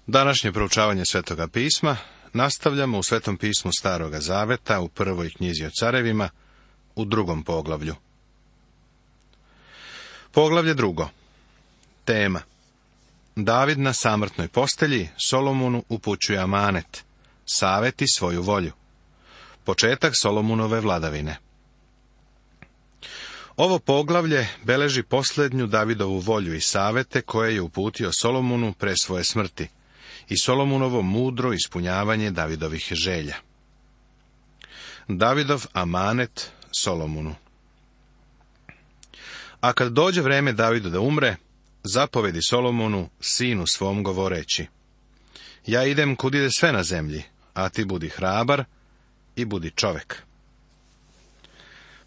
Današnje proučavanje Svetoga pisma nastavljamo u Svetom pismu Staroga zaveta u prvoj knjizi o carevima u 2. poglavlju. Poglavlje 2. Tema: David na samrtnoj postelji Solomonu upućuje amanet, saveti svoju volju. Početak Solomunove vladavine. Ovo poglavlje beleži posljednju Davidovu volju i savete koje je uputio Solomonu pre svoje smrti i Solomunovo mudro ispunjavanje Davidovih želja. Davidov amanet Solomonu. A kad dođe vreme Davidu da umre, zapovedi Solomonu, sinu svom, govoreći: Ja idem kud ide sve na zemlji, a ti budi hrabar i budi čovek.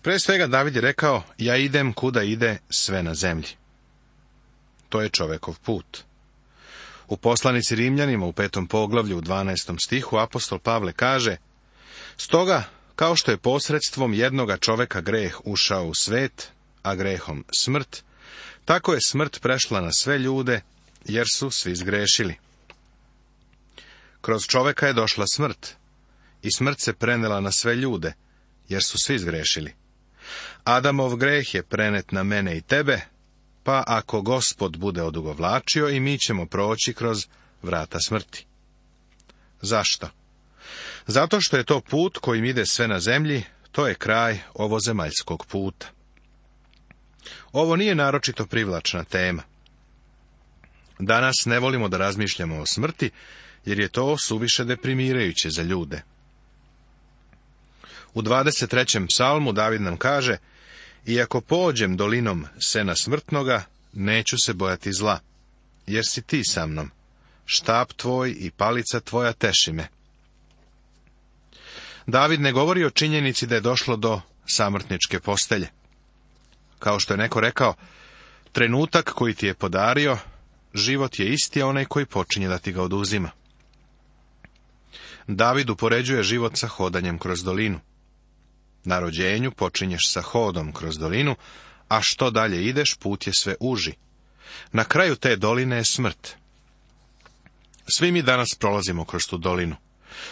Pre svega David je rekao: Ja idem kuda ide sve na zemlji. To je čovekov put. U poslanici Rimljanima u 5. poglavlju u 12. stihu apostol Pavle kaže: Stoga, kao što je posredstvom jednoga čoveka greh ušao u svet, a grehom smrt, tako je smrt prešla na sve ljude, jer su svi zgrešili. Kroz čoveka je došla smrt, i smrt se prenela na sve ljude, jer su svi zgrešili. Adamov greh je prenet na mene i tebe, pa ako Gospod bude odugovlačio, i mi ćemo proći kroz vrata smrti. Zašto? Zato što je to put kojim ide sve na zemlji, to je kraj ovozemaljskog puta. Ovo nije naročito privlačna tema. Danas ne volimo da razmišljamo o smrti, jer je to suviše deprimirajuće za ljude. U 23. psalmu David nam kaže: Iako pođem dolinom sena smrtnoga, neću se bojati zla, jer si ti sa mnom. Štap tvoj i palica tvoja teši me. David ne govori o činjenici da je došlo do samrtničke postelje. Kao što je neko rekao, trenutak koji ti je podario, život je isti onaj koji počinje da ti ga oduzima. David upoređuje život sa hodanjem kroz dolinu. Na rođenju počinješ sa hodom kroz dolinu, a što dalje ideš, put je sve uži. Na kraju te doline je smrt. Svi mi danas prolazimo kroz tu dolinu.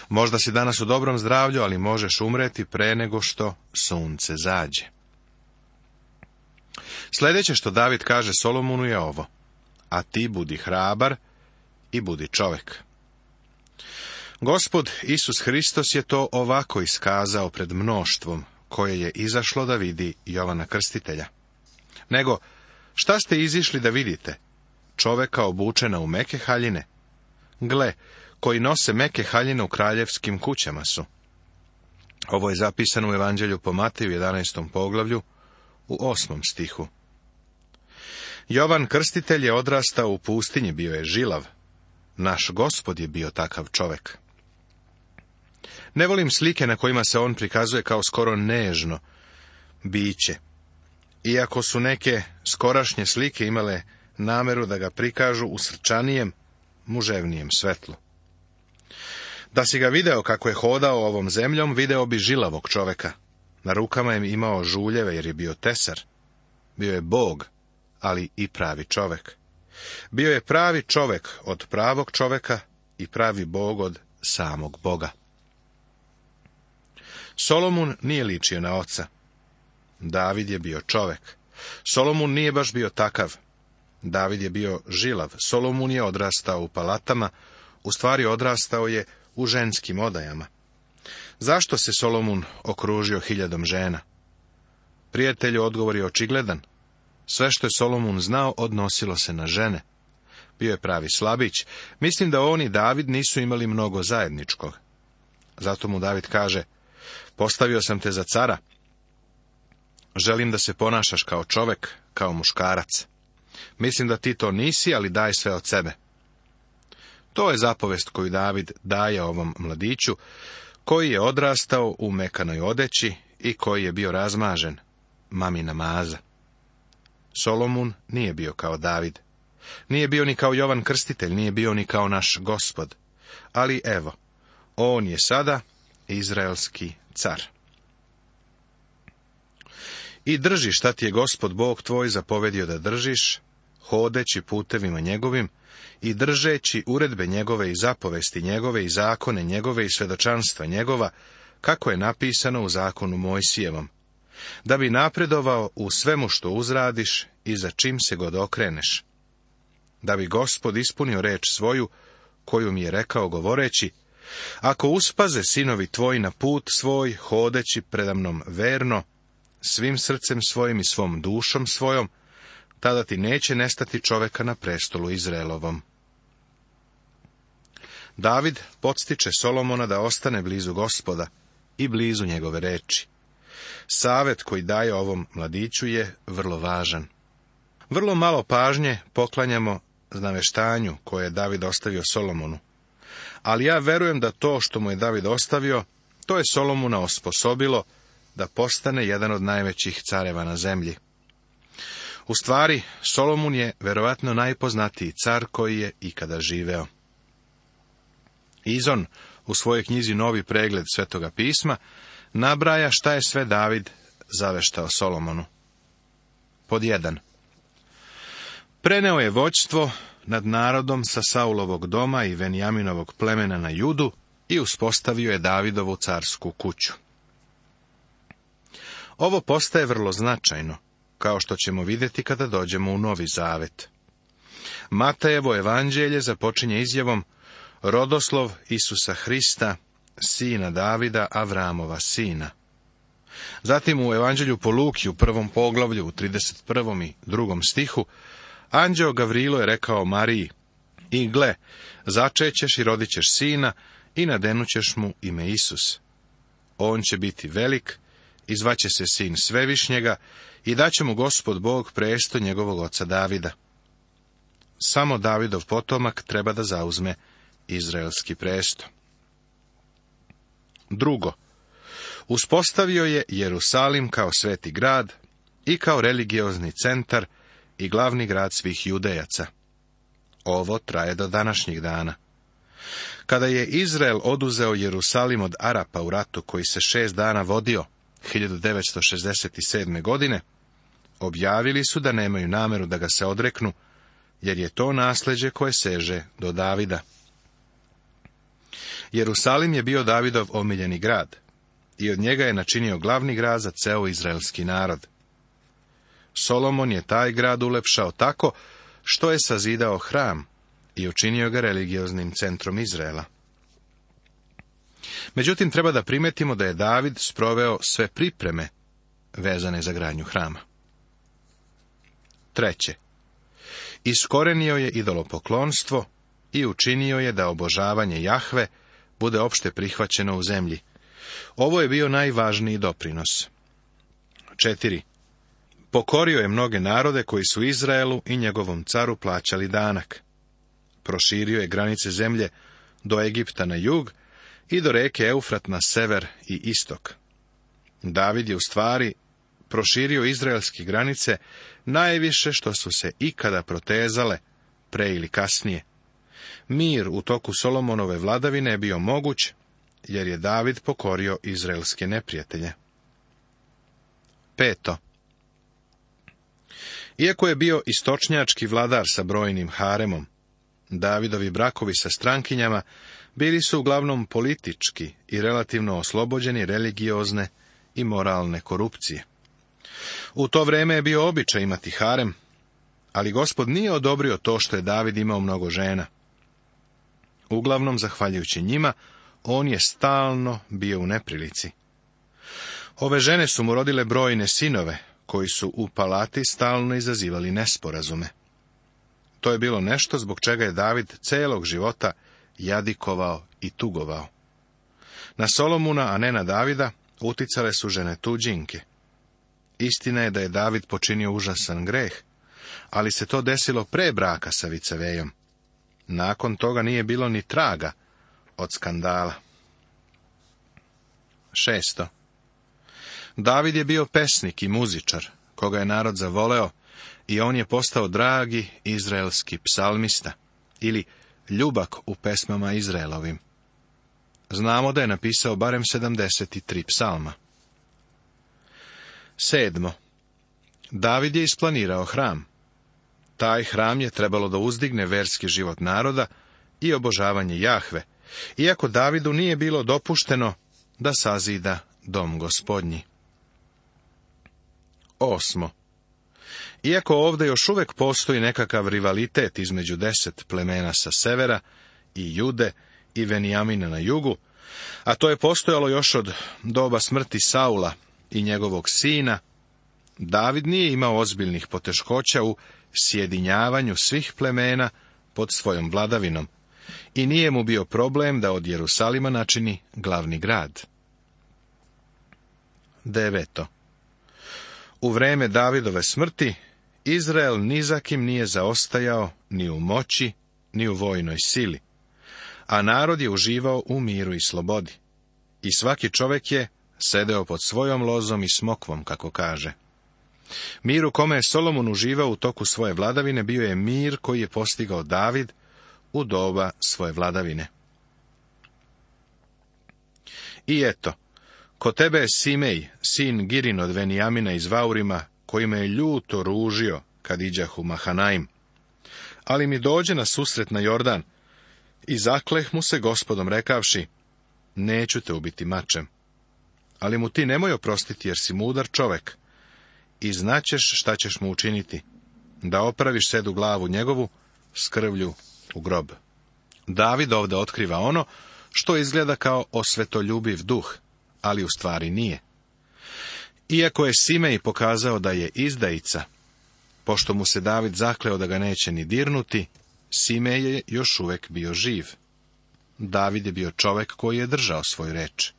Možda si danas u dobrom zdravlju, ali možeš umreti pre nego što sunce zađe. Sljedeće što David kaže Solomonu je ovo: A ti budi hrabar i budi čovek. Gospod Isus Hristos je to ovako iskazao pred mnoštvom, koje je izašlo da vidi Jovana Krstitelja. Nego, šta ste izišli da vidite? Čoveka obučena u meke haljine? Gle, koji nose meke haljine u kraljevskim kućama su. Ovo je zapisano u Evanđelju po Mateju 11. poglavlju u 8. stihu. Jovan Krstitelj je odrastao u pustinji, bio je žilav. Naš Gospod je bio takav čovek. Ne volim slike na kojima se on prikazuje kao skoro nežno biće. Iako su neke skorašnje slike imale nameru da ga prikažu u srčanijem, muževnijem svetlu. Da si ga video kako je hodao ovom zemljom, video bi žilavog čoveka. Na rukama je imao žuljeve jer je bio tesar. Bio je Bog, ali i pravi čovek. Bio je pravi čovek od pravog čoveka i pravi Bog od samog Boga. Solomon nije ličio na oca. David je bio čovek. Solomon nije baš bio takav. David je bio žilav. Solomon je odrastao u palatama, u stvari odrastao je u ženskim odajama. Zašto se Solomon okružio 1000 žena? Prijatelju, odgovor je očigledan. Sve što je Solomon znao odnosilo se na žene. Bio je pravi slabić. Mislim da on i David nisu imali mnogo zajedničkog. Zato mu David kaže: Postavio sam te za cara. Želim da se ponašaš kao čovek, kao muškarac. Mislim da ti to nisi, ali daj sve od sebe. To je zapovest koju David daje ovom mladiću, koji je odrastao u mekanoj odeći i koji je bio razmažen, mamina maza. Solomon nije bio kao David. Nije bio ni kao Jovan Krstitelj, nije bio ni kao naš Gospod. Ali evo, on je sada izraelski car. I drži šta ti je Gospod Bog tvoj zapovedio da držiš, hodeći putevima njegovim i držeći uredbe njegove i zapovesti njegove i zakone njegove i svjedočanstva njegova, kako je napisano u zakonu Mojsijevom, da bi napredovao u svemu što uzradiš i za čim se god okreneš, da bi Gospod ispunio reč svoju, koju mi je rekao govoreći, ako uspaze sinovi tvoji na put svoj, hodeći predamnom verno, svim srcem svojim i svom dušom svojom, tada ti neće nestati čoveka na prestolu Izraelovom. David podstiče Solomona da ostane blizu Gospoda i blizu njegove reči. Savet koji daje ovom mladiću je vrlo važan. Vrlo malo pažnje poklanjamo naveštanju koje je David ostavio Solomonu, ali ja verujem da to što mu je David ostavio, to je Solomona osposobilo da postane jedan od najvećih careva na zemlji. U stvari, Solomon je verovatno najpoznatiji car koji je ikada živeo. Izon u svojoj knjizi Novi pregled Svetoga pisma nabraja šta je sve David zaveštao Solomonu. Pod 1. Preneo je vođstvo nad narodom sa Saulovog doma i Venjaminovog plemena na Judu i uspostavio je Davidovu carsku kuću. Ovo postaje vrlo značajno, kao što ćemo vidjeti kada dođemo u Novi Zavet. Matejevo evanđelje započinje izjavom rodoslov Isusa Hrista, sina Davida, Avramova sina. Zatim u evanđelju po Luki u 1. poglavlju u 31. i 2. stihu anđeo Gavrilo je rekao Mariji, i gle, začećeš i rodit ćeš sina i nadenućeš mu ime Isus. On će biti velik i zvaće se sin Svevišnjega i daće mu Gospod Bog presto njegovog oca Davida. Samo Davidov potomak treba da zauzme izraelski presto. 2. Uspostavio je Jerusalim kao sveti grad i kao religiozni centar i glavni grad svih Judejaca. Ovo traje do današnjih dana. Kada je Izrael oduzeo Jerusalim od Arapa u ratu koji se 6 dana vodio, 1967. godine, objavili su da nemaju nameru da ga se odreknu, jer je to nasljeđe koje seže do Davida. Jerusalim je bio Davidov omiljeni grad i od njega je načinio glavni grad za ceo izraelski narod. Solomon je taj grad ulepšao tako što je sazidao hram i učinio ga religioznim centrom Izraela. Međutim, treba da primetimo da je David sproveo sve pripreme vezane za gradnju hrama. 3. Iskorenio je idolopoklonstvo i učinio je da obožavanje Jahve bude opšte prihvaćeno u zemlji. Ovo je bio najvažniji doprinos. 4. Pokorio je mnoge narode koji su Izraelu i njegovom caru plaćali danak. Proširio je granice zemlje do Egipta na jug i do reke Eufrat na sever i istok. David je u stvari proširio izraelske granice najviše što su se ikada protezale, pre ili kasnije. Mir u toku Solomonove vladavine je bio moguć, jer je David pokorio izraelske neprijatelje. 5. Iako je bio istočnjački vladar sa brojnim haremom, Davidovi brakovi sa strankinjama bili su uglavnom politički i relativno oslobođeni religiozne i moralne korupcije. U to vreme je bio običaj imati harem, ali Gospod nije odobrio to što je David imao mnogo žena. Uglavnom, zahvaljujući njima, on je stalno bio u neprilici. Ove žene su mu rodile brojne sinove, koji su u palati stalno izazivali nesporazume. To je bilo nešto zbog čega je David celog života jadikovao i tugovao. Na Solomona, a ne na Davida, uticale su žene tuđinke. Istina je da je David počinio užasan greh, ali se to desilo pre braka sa vicevejom. Nakon toga nije bilo ni traga od skandala. 6. David je bio pesnik i muzičar, koga je narod zavoleo, i on je postao dragi izraelski psalmista, ili ljubak u pesmama Izraelovim. Znamo da je napisao barem 73 psalma. 7. David je isplanirao hram. Taj hram je trebalo da uzdigne verski život naroda i obožavanje Jahve, iako Davidu nije bilo dopušteno da sazida dom Gospodnji. 8. Iako ovdje još uvijek postoji nekakav rivalitet između 10 plemena sa severa i Jude i Venijamina na jugu, a to je postojalo još od doba smrti Saula i njegovog sina, David nije imao ozbiljnih poteškoća u sjedinjavanju svih plemena pod svojom vladavinom i nije mu bio problem da od Jerusalima načini glavni grad. 9. U vreme Davidove smrti Izrael ni za kim nije zaostajao ni u moći, ni u vojnoj sili, a narod je uživao u miru i slobodi. I svaki čovjek je sedeo pod svojom lozom i smokvom, kako kaže. Mir u kome je Solomon uživao u toku svoje vladavine bio je mir koji je postigao David u doba svoje vladavine. I eto, kod tebe je Simej, sin Girin od Venijamina iz Vaurima, koji me je ljuto ružio kad iđah u Mahanaim. Ali mi dođe na susret na Jordan i zakleh mu se Gospodom rekavši, neću te ubiti mačem. Ali mu ti nemoj oprostiti jer si mudar čovek i znaćeš šta ćeš mu učiniti, da opraviš sedu glavu njegovu s krvlju u grob. David ovdje otkriva ono što izgleda kao osvetoljubiv duh, ali u stvari nije. Iako je Simej pokazao da je izdajica, pošto mu se David zakleo da ga neće ni dirnuti, Simej je još uvijek bio živ. David je bio čovjek koji je držao svoju reč.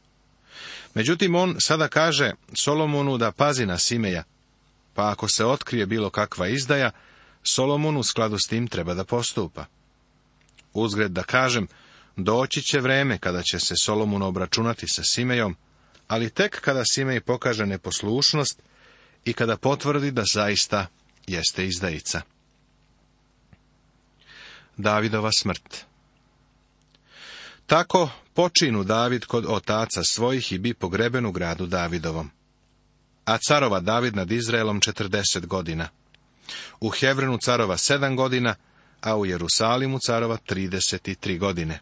Međutim, on sada kaže Solomonu da pazi na Simeja, pa ako se otkrije bilo kakva izdaja, Solomon u skladu s tim treba da postupa. Uzgred da kažem, doći će vreme kada će se Solomon obračunati sa Simejom, ali tek kada Simej pokaže neposlušnost i kada potvrdi da zaista jeste izdajica. Davidova smrt. Tako počinu David kod otaca svojih i bi pogreben u gradu Davidovom. A carova David nad Izraelom 40 godina. U Hevronu carova 7 godina, a u Jerusalimu carova 33 godine.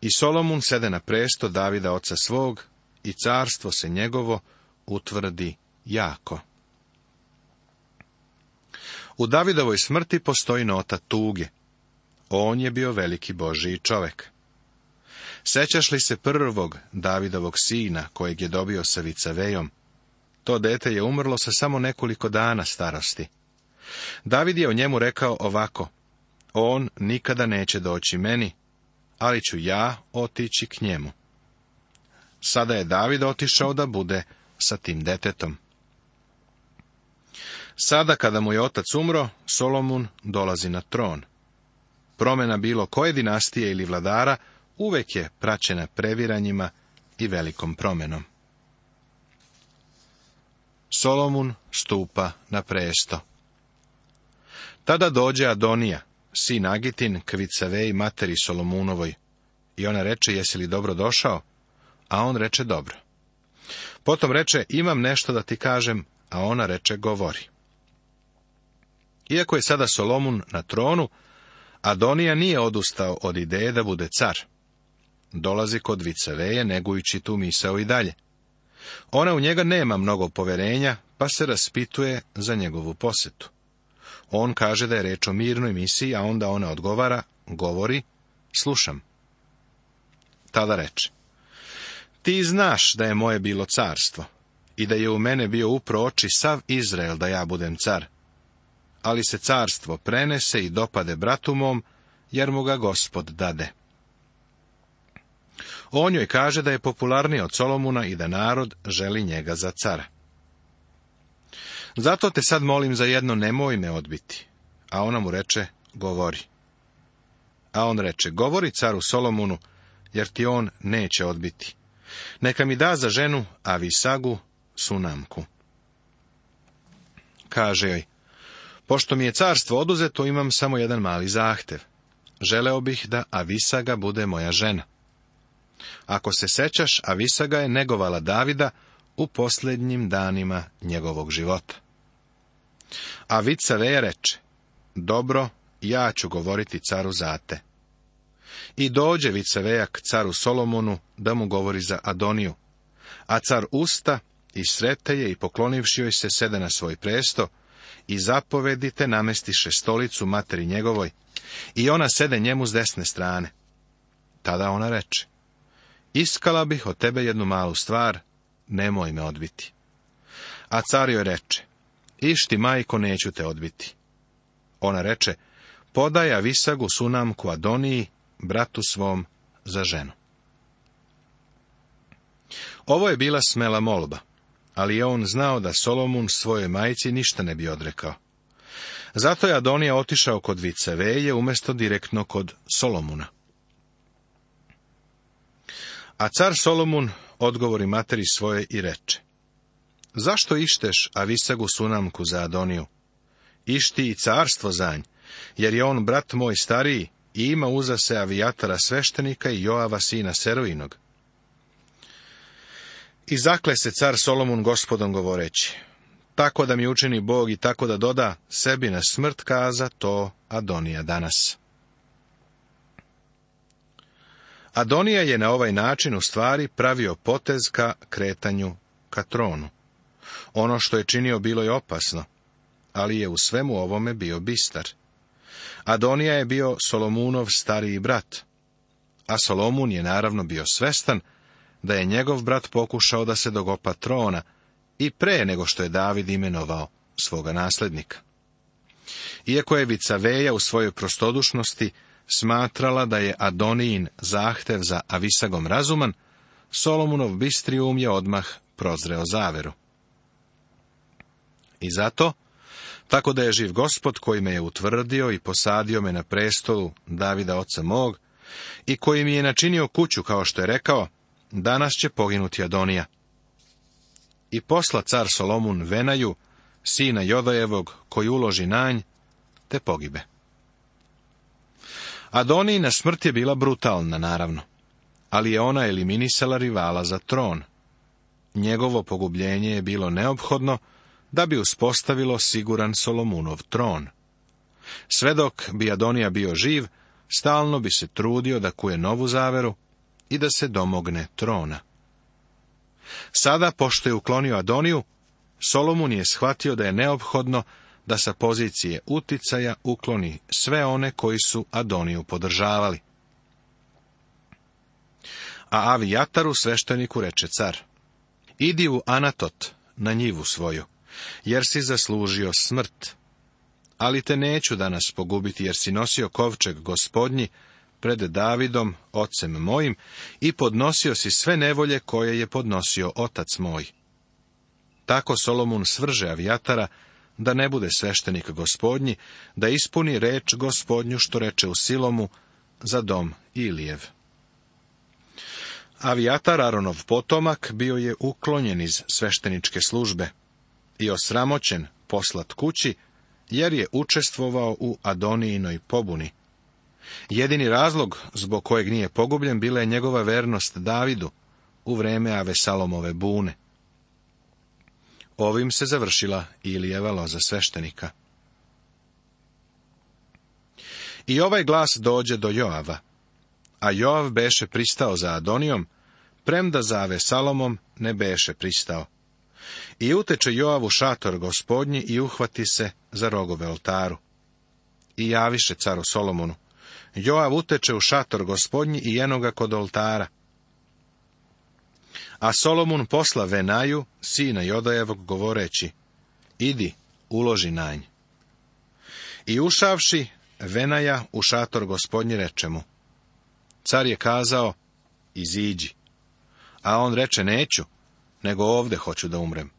I Solomon sede na presto Davida oca svog, i carstvo se njegovo utvrdi jako. U Davidovoj smrti postoji nota tuge. On je bio veliki Božiji čovek. Sećaš li se prvog Davidovog sina, kojeg je dobio sa vicavejom? To dete je umrlo sa samo nekoliko dana starosti. David je o njemu rekao ovako, on nikada neće doći meni, ali ću ja otići k njemu. Sada je David otišao da bude sa tim detetom. Sada kada mu je otac umro, Solomon dolazi na tron. Promjena bilo koje dinastije ili vladara uvek je praćena previranjima i velikom promjenom. Solomon stupa na presto. Tada dođe Adonija, sin Agitin, k Vicaveji materi Solomunovoj, i ona reče, jesi li dobro došao? A on reče, dobro. Potom reče, imam nešto da ti kažem, a ona reče, govori. Iako je sada Solomon na tronu, Adonija nije odustao od ideje da bude car. Dolazi kod Vicaveje, negujući tu misao i dalje. Ona u njega nema mnogo poverenja, pa se raspituje za njegovu posetu. On kaže da je reč o mirnoj misiji, a onda ona odgovara, govori, slušam. Tada reče, ti znaš da je moje bilo carstvo i da je u mene bio upro oči sav Izrael da ja budem car. Ali se carstvo prenese i dopade bratu mom, jer mu ga Gospod dade. On joj kaže da je popularniji od Solomona i da narod želi njega za cara. Zato te sad molim za jedno, nemoj me odbiti. A ona mu reče, govori. A on reče, govori caru Solomonu, jer ti on neće odbiti. Neka mi da za ženu Avisagu, Sunamku. Kaže joj, pošto mi je carstvo oduzeto, imam samo jedan mali zahtev. Želeo bih da Avisaga bude moja žena. Ako se sećaš, Avisaga je negovala Davida u posljednjim danima njegovog života. A Vicaveja reče, dobro, ja ću govoriti caru za te. I dođe vicevejak caru Solomonu da mu govori za Adoniju, a car usta i srete je i poklonivši joj se sede na svoj presto i zapovedite namestiše stolicu materi njegovoj i ona sede njemu s desne strane. Tada ona reče, iskala bih od tebe jednu malu stvar, nemoj me odbiti. A car joj reče, išti majko, neću te odbiti. Ona reče, podaj Avisagu sunamku Adoniji, bratu svom, za ženu. Ovo je bila smela molba, ali je on znao da Solomon svojoj majci ništa ne bi odrekao. Zato je Adonija otišao kod viceveje umjesto direktno kod Solomona. A car Solomon odgovori materi svoje i reče, zašto išteš Avisagu sunamku za Adoniju? Išti i carstvo za nj, jer je on brat moj stariji i ima uza se Avijatara sveštenika i Joava sina Seruinog. I zakle se car Solomon Gospodom govoreći, tako da mi učini Bog i tako da doda, sebi na smrt kaza to Adonija danas. Adonija je na ovaj način u stvari pravio potez ka kretanju ka tronu. Ono što je činio bilo je opasno, ali je u svemu ovome bio bistar. Adonija je bio Solomunov stariji brat, a Solomon je naravno bio svestan da je njegov brat pokušao da se dogopa trona i pre nego što je David imenovao svoga nasljednika. Iako je vicaveja u svojoj prostodušnosti smatrala da je Adonijin zahtev za Avisagom razuman, Solomunov bistri um je odmah prozreo zaveru. I zato, tako da je živ Gospod koji me je utvrdio i posadio me na prestolu Davida oca mog i koji mi je načinio kuću kao što je rekao, danas će poginuti Adonija. I posla car Solomon Venaju, sina Jodajevog, koji uloži na nj, te pogibe. Adonijina smrt je bila brutalna, naravno, ali je ona eliminisala rivala za tron. Njegovo pogubljenje je bilo neophodno da bi uspostavilo siguran Solomunov tron. Sve dok bi Adonija bio živ, stalno bi se trudio da kuje novu zaveru i da se domogne trona. Sada, pošto je uklonio Adoniju, Solomon je shvatio da je neophodno da sa pozicije uticaja ukloni sve one koji su Adoniju podržavali. A Avijataru svešteniku reče car, idi u Anatot, na njivu svoju, jer si zaslužio smrt. Ali te neću danas pogubiti, jer si nosio kovčeg Gospodnji pred Davidom, ocem mojim, i podnosio si sve nevolje koje je podnosio otac moj. Tako Solomon svrže Avijatara, da ne bude sveštenik Gospodnji, da ispuni reč Gospodnju što reče u Silomu za dom Ilijev. Avijatar, Aronov potomak, bio je uklonjen iz svešteničke službe i osramoćen poslat kući, jer je učestvovao u Adonijinoj pobuni. Jedini razlog zbog kojeg nije pogubljen bila je njegova vernost Davidu u vreme Avesalomove bune. Ovim se završila Ilijeva loza sveštenika. I ovaj glas dođe do Joava, a Joav beše pristao za Adonijom, premda za Avesalomom ne beše pristao. I uteče Joav u šator Gospodnji i uhvati se za rogove oltaru. I javiše caru Solomonu, Joav uteče u šator Gospodnji i eno ga kod oltara. A Solomon posla Venaju, sina Jodajevog, govoreći, idi, uloži na nj. I ušavši, Venaja u šator Gospodnji reče mu, car je kazao, iziđi. A on reče, neću, nego ovde hoću da umrem.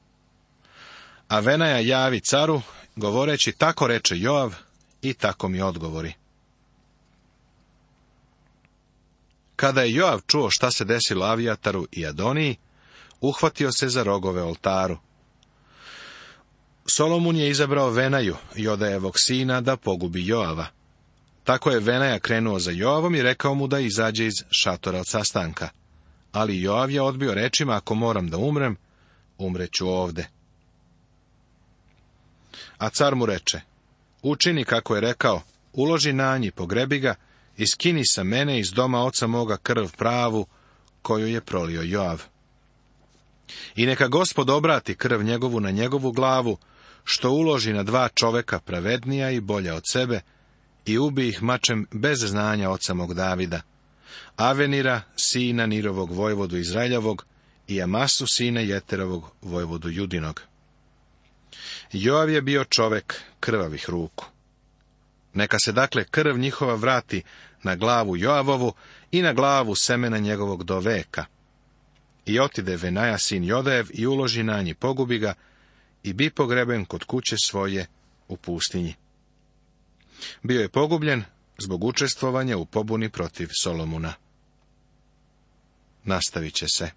A Venaja javi caru, govoreći, tako reče Joav, i tako mi odgovori. Kada je Joav čuo šta se desilo Avijataru i Adoniji, uhvatio se za rogove oltaru. Solomon je izabrao Venaju, Jodajevog sina, da pogubi Joava. Tako je Venaja krenuo za Joavom i rekao mu da izađe iz šatora od sastanka. Ali Joav je odbio rečima, ako moram da umrem, umreću ovde. A car mu reče, učini kako je rekao, uloži na nji, pogrebi ga i skini sa mene iz doma oca moga krv pravu, koju je prolio Joav. I neka Gospod obrati krv njegovu na njegovu glavu, što uloži na 2 čoveka pravednija i bolja od sebe, i ubi ih mačem bez znanja oca mog Davida, Avenira, sina Nirovog vojvodu Izraeljevog, i Amasu, sina Jeterovog vojvodu Judinog. Joav je bio čovek krvavih ruku. Neka se dakle krv njihova vrati na glavu Joavovu i na glavu semena njegovog do veka. I otide Venaja sin Jodejev i uloži na nji, pogubi ga, i bi pogreben kod kuće svoje u pustinji. Bio je pogubljen zbog učestvovanja u pobuni protiv Solomuna. Nastavit će se.